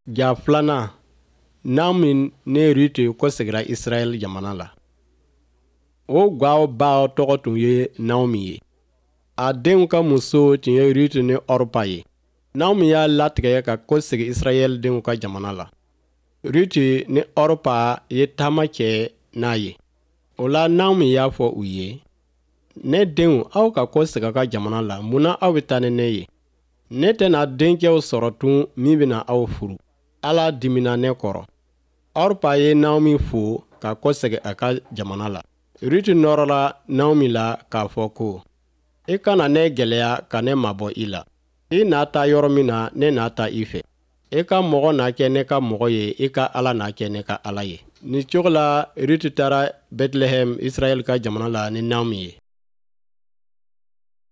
Ja filanan, Naomi ni Ruti kɔsegira Israɛl jamana la. O gwaw ba tɔgɔ tun ye Naomi ye. A denw ka musow tun ye Ruti ni Ɔrpa ye. Naomi y'a latigɛ ka kɔsegin Israɛl denw ka jamana la. Ruti ni Ɔrpa ye taama kɛ n'a ye. O la Naomi y'a fɔ u ye, Ne denw, aw ka kɔsegin aw ka jamana la. Mun na aw bɛ taa ni ne ye? Ne tɛna dencɛw sɔrɔ tun min bɛna aw furu. Ala dimina ne kɔrɔ. Ɔrpa ye Naomi fo ka kɔsegin a ka jamana la. Ruti nɔrɔla Naomi la k'a fɔ ko, I kana ne gɛlɛya ka ne mabɔ i la. I na taa yɔrɔ min na, ne na taa i fɛ. I ka mɔgɔ na kɛ ne ka mɔgɔ ye, i ka Ala na kɛ ne ka Ala ye. Nin cogo la, Ruti taara Bɛtilɛhɛm, Israɛl ka jamana la ni Naomi ye.